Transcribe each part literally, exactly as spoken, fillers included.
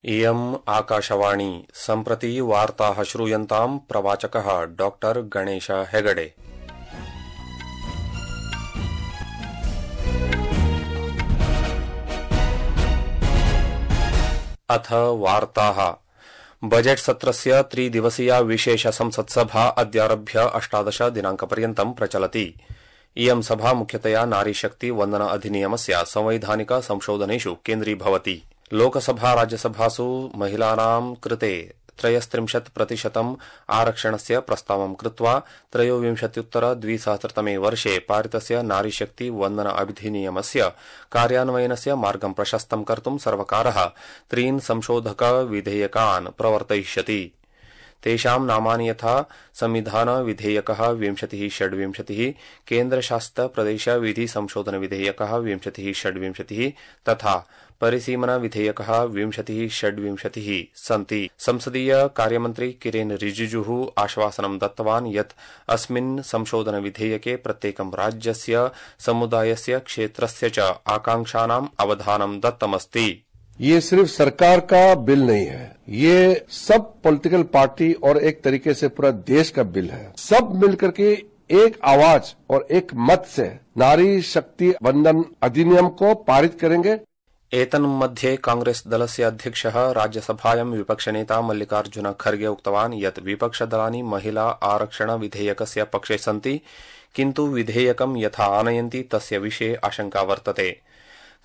इयम् आकाशवाणी सम्प्रति वार्ताः श्रूयन्ताम् प्रवाचकः डॉक्टर गणेश हेगडे। अथ वार्ताः। बजेट सत्रस्य त्रिदिवसीया विशेष संसत्सभा अद्यारभ्य अष्टादश दिनांकपर्यन्तं प्रचलति। इयं सभा मुख्यतया नारीशक्ति वन्दन अधिनियमस्य संवैधानिक संशोधनेषु केन्द्रीभवति। लोकसभा राज्यसभासु महिलानां कृते त्रयस्त्रिंशत् प्रतिशतम् आरक्षणस्य प्रस्तावं कृत्वा त्रयोविंशत्युत्तर द्विसहस्रतमे वर्षे पारितस्य नारीशक्ति वन्दन अधिनियमस्य कार्यान्वयनस्य मार्गं प्रशस्तं कर्तुं सर्वकारः त्रीन् संशोधक विधेयकान् प्रवर्तयिष्यति। तेषां नामानि यथा संविधान विधेयकः विंशतिः षड्विंशतिः, केन्द्रशासित प्रदेश विधि संशोधन विधेयकः विंशतिः षड्विंशतिः तथा परिसीमन विधेयकः विंशतिः षड्विंशतिः सन्ति। संसदीय कार्यमन्त्री किरेन रिजिजुः आश्वासनं दत्तवान् यत् अस्मिन् संशोधन विधेयके प्रत्येकं राज्यस्य समुदायस्य क्षेत्रस्य च आकांक्षानाम् अवधानं दत्तमस्ति। ये सिर्फ सरकार का बिल नहीं है, ये सब पॉलिटिकल पार्टी और एक तरीके से पूरा देश का बिल है। सब मिलकर के एक आवाज और एक मत से नारी शक्ति वंदन अधिनियम को पारित करेंगे। एतन्मध्ये कांग्रेस दलस्य अध्यक्षः राज्यसभायां विपक्षनेता मल्लिकार्जुन खर्गे उक्तवान् यत् विपक्षदलानि महिला आरक्षण विधेयकस्य पक्षे सन्ति, किन्तु विधेयकं यथा आनयन्ति तस्य विषये आशंका वर्तते।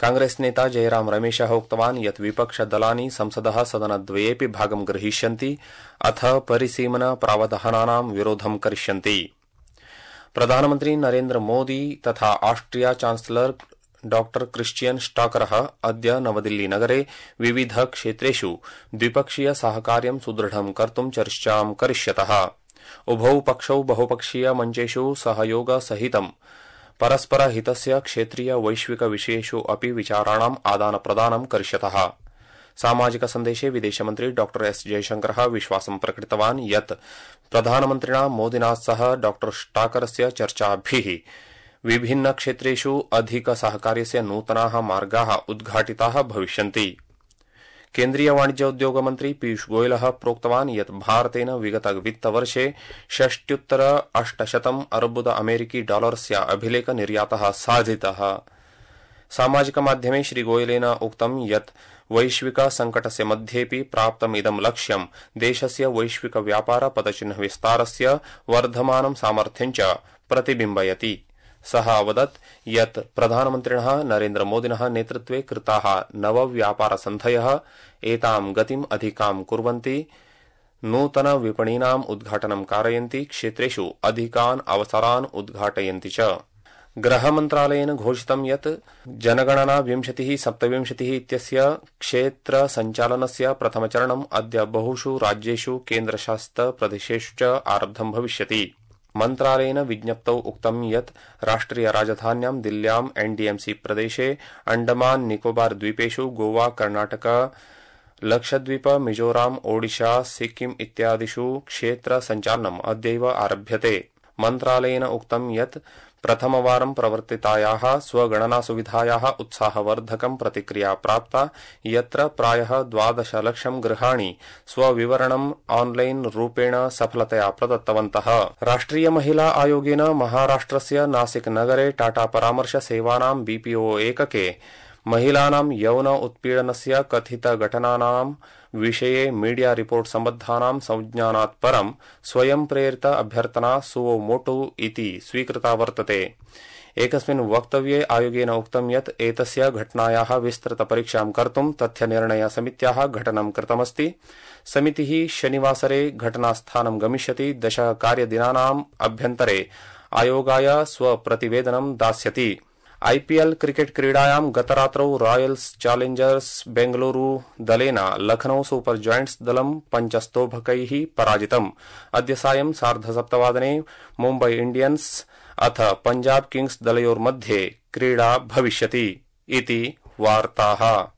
कांग्रेस नेता जयराम रमेशः उक्तवान् यत् विपक्षदलानि संसदः सदनद्वयेऽपि भागं ग्रहीष्यन्ति अथ परिसीमन प्रावधानानां विरोधं करिष्यन्ति। प्रधानमन्त्री नरेन्द्र मोदी तथा ऑस्ट्रिया चांसलर डॉक्टर क्रिश्चियन स्टाकरः अद्य नवदिल्ली नगरे विविध क्षेत्रेषु द्विपक्षीय सहकार्यं सुदृढं कर्तुं चर्चां करिष्यतः। उभौ पक्षौ बहुपक्षीय मञ्चेषु सहयोग सहितं परस्पर हितस्य क्षेत्रीय वैश्विक विषयेषु अपि विचाराणाम् आदान प्रदानं करिष्यतः। सामाजिक सन्देशे विदेशमन्त्री डॉक्टर एस जयशंकरः विश्वासं प्रकटितवान् यत् प्रधानमन्त्रिणा मोदिना सह डॉक्टर स्टाकरस्य चर्चाभिः विभिन्न क्षेत्रेषु अधिक सहकार्यस्य नूतनाः मार्गाः उद्घाटिताः भविष्यन्ति। केन्द्रीय वाणिज्य उद्योग मन्त्री पीयूष गोयलः प्रोक्तवान् यत् भारतेन विगत वित्तवर्षे षष्ट्युत्तर अष्टशतम् अर्बुद अमेरिकी डॉलरस्य अभिलेख निर्यातः साधितः। सामाजिक माध्यमे श्रीगोयलेन उक्तं यत् वैश्विक संकटस्य मध्येऽपि प्राप्तमिदं लक्ष्यं देशस्य वैश्विक व्यापार पदचिह्न विस्तारस्य वर्धमानं सामर्थ्यं च प्रतिबिम्बयति। सः अवदत् यत् प्रधानमन्त्रिणः नरेन्द्र मोदिनः नेतृत्वे कृताः नव व्यापार सन्धयः एतां गतिम् अधिकां कुर्वन्ति, नूतन विपणीनाम् उद्घाटनं कारयन्ति, क्षेत्रेषु अधिकान् अवसरान् उद्घाटयन्ति च। गृहमन्त्रालयेन घोषितं यत् जनगणना विंशतिः सप्तविंशतिः इत्यस्य क्षेत्र सञ्चालनस्य प्रथमचरणम् अद्य बहुषु राज्येषु केन्द्रशासित प्रदेशेषु च आरब्धं भविष्यति। मन्त्रालयेन विज्ञप्तौ उक्तं यत् राष्ट्रिय राजधान्यां दिल्ल्यां एनडीएमसी प्रदेशे अंडमान निकोबार द्वीपेषु गोवा, कर्णाटक, लक्षद्वीप, मिजोराम, ओडिशा, सिक्किम इत्यादिषु क्षेत्र सञ्चालनम् अद्यैव आरभ्यते। मन्त्रालयेन उक्तं यत् प्रथमवारं प्रवर्तितायाः स्वगणना सुविधायाः उत्साहवर्धकं प्रतिक्रिया प्राप्ता, यत्र प्रायः द्वादश लक्षं गृहाणि स्वविवरणम् ऑनलाइन रूपेण सफलतया प्रदत्तवन्तः। राष्ट्रिय महिला आयोगेन महाराष्ट्रस्य नासिक नगरे टाटा परामर्श सेवानां बीपीओ एकके महिलानां यौन उत्पीडनस्य कथित घटनानां विषये मीडिया रिपोर्ट सम्बद्धानां संज्ञानात् परं स्वयं प्रेरित अभ्यर्थना सुवो मोटो इति स्वीकृता वर्तते। एकस्मिन् वक्तव्ये आयोगेन उक्तं यत् एतस्य घटनायाः विस्तृत परीक्षां कर्तुं तथ्यनिर्णय समित्याः घटनं कृतमस्ति। समितिः शनिवासरे घटनास्थानं गमिष्यति। दश कार्यदिनानाम् अभ्यन्तरे आयोगाय स्वप्रतिवेदनं दास्यति। आईपीएल क्रिकेट क्रीडायां गतरात्रौ रॉयल्स चैलेंजर्स बेंगलुरु दलेन लखनऊ सुपर जायंट्स दलं पञ्चस्तोभकैः पराजितम्। अद्य सायं सार्धसप्तवादने मुम्बई इंडियन्स अथ पंजाब किंग्स दलयोर्मध्ये क्रीडा भविष्यति। इति वार्ताः।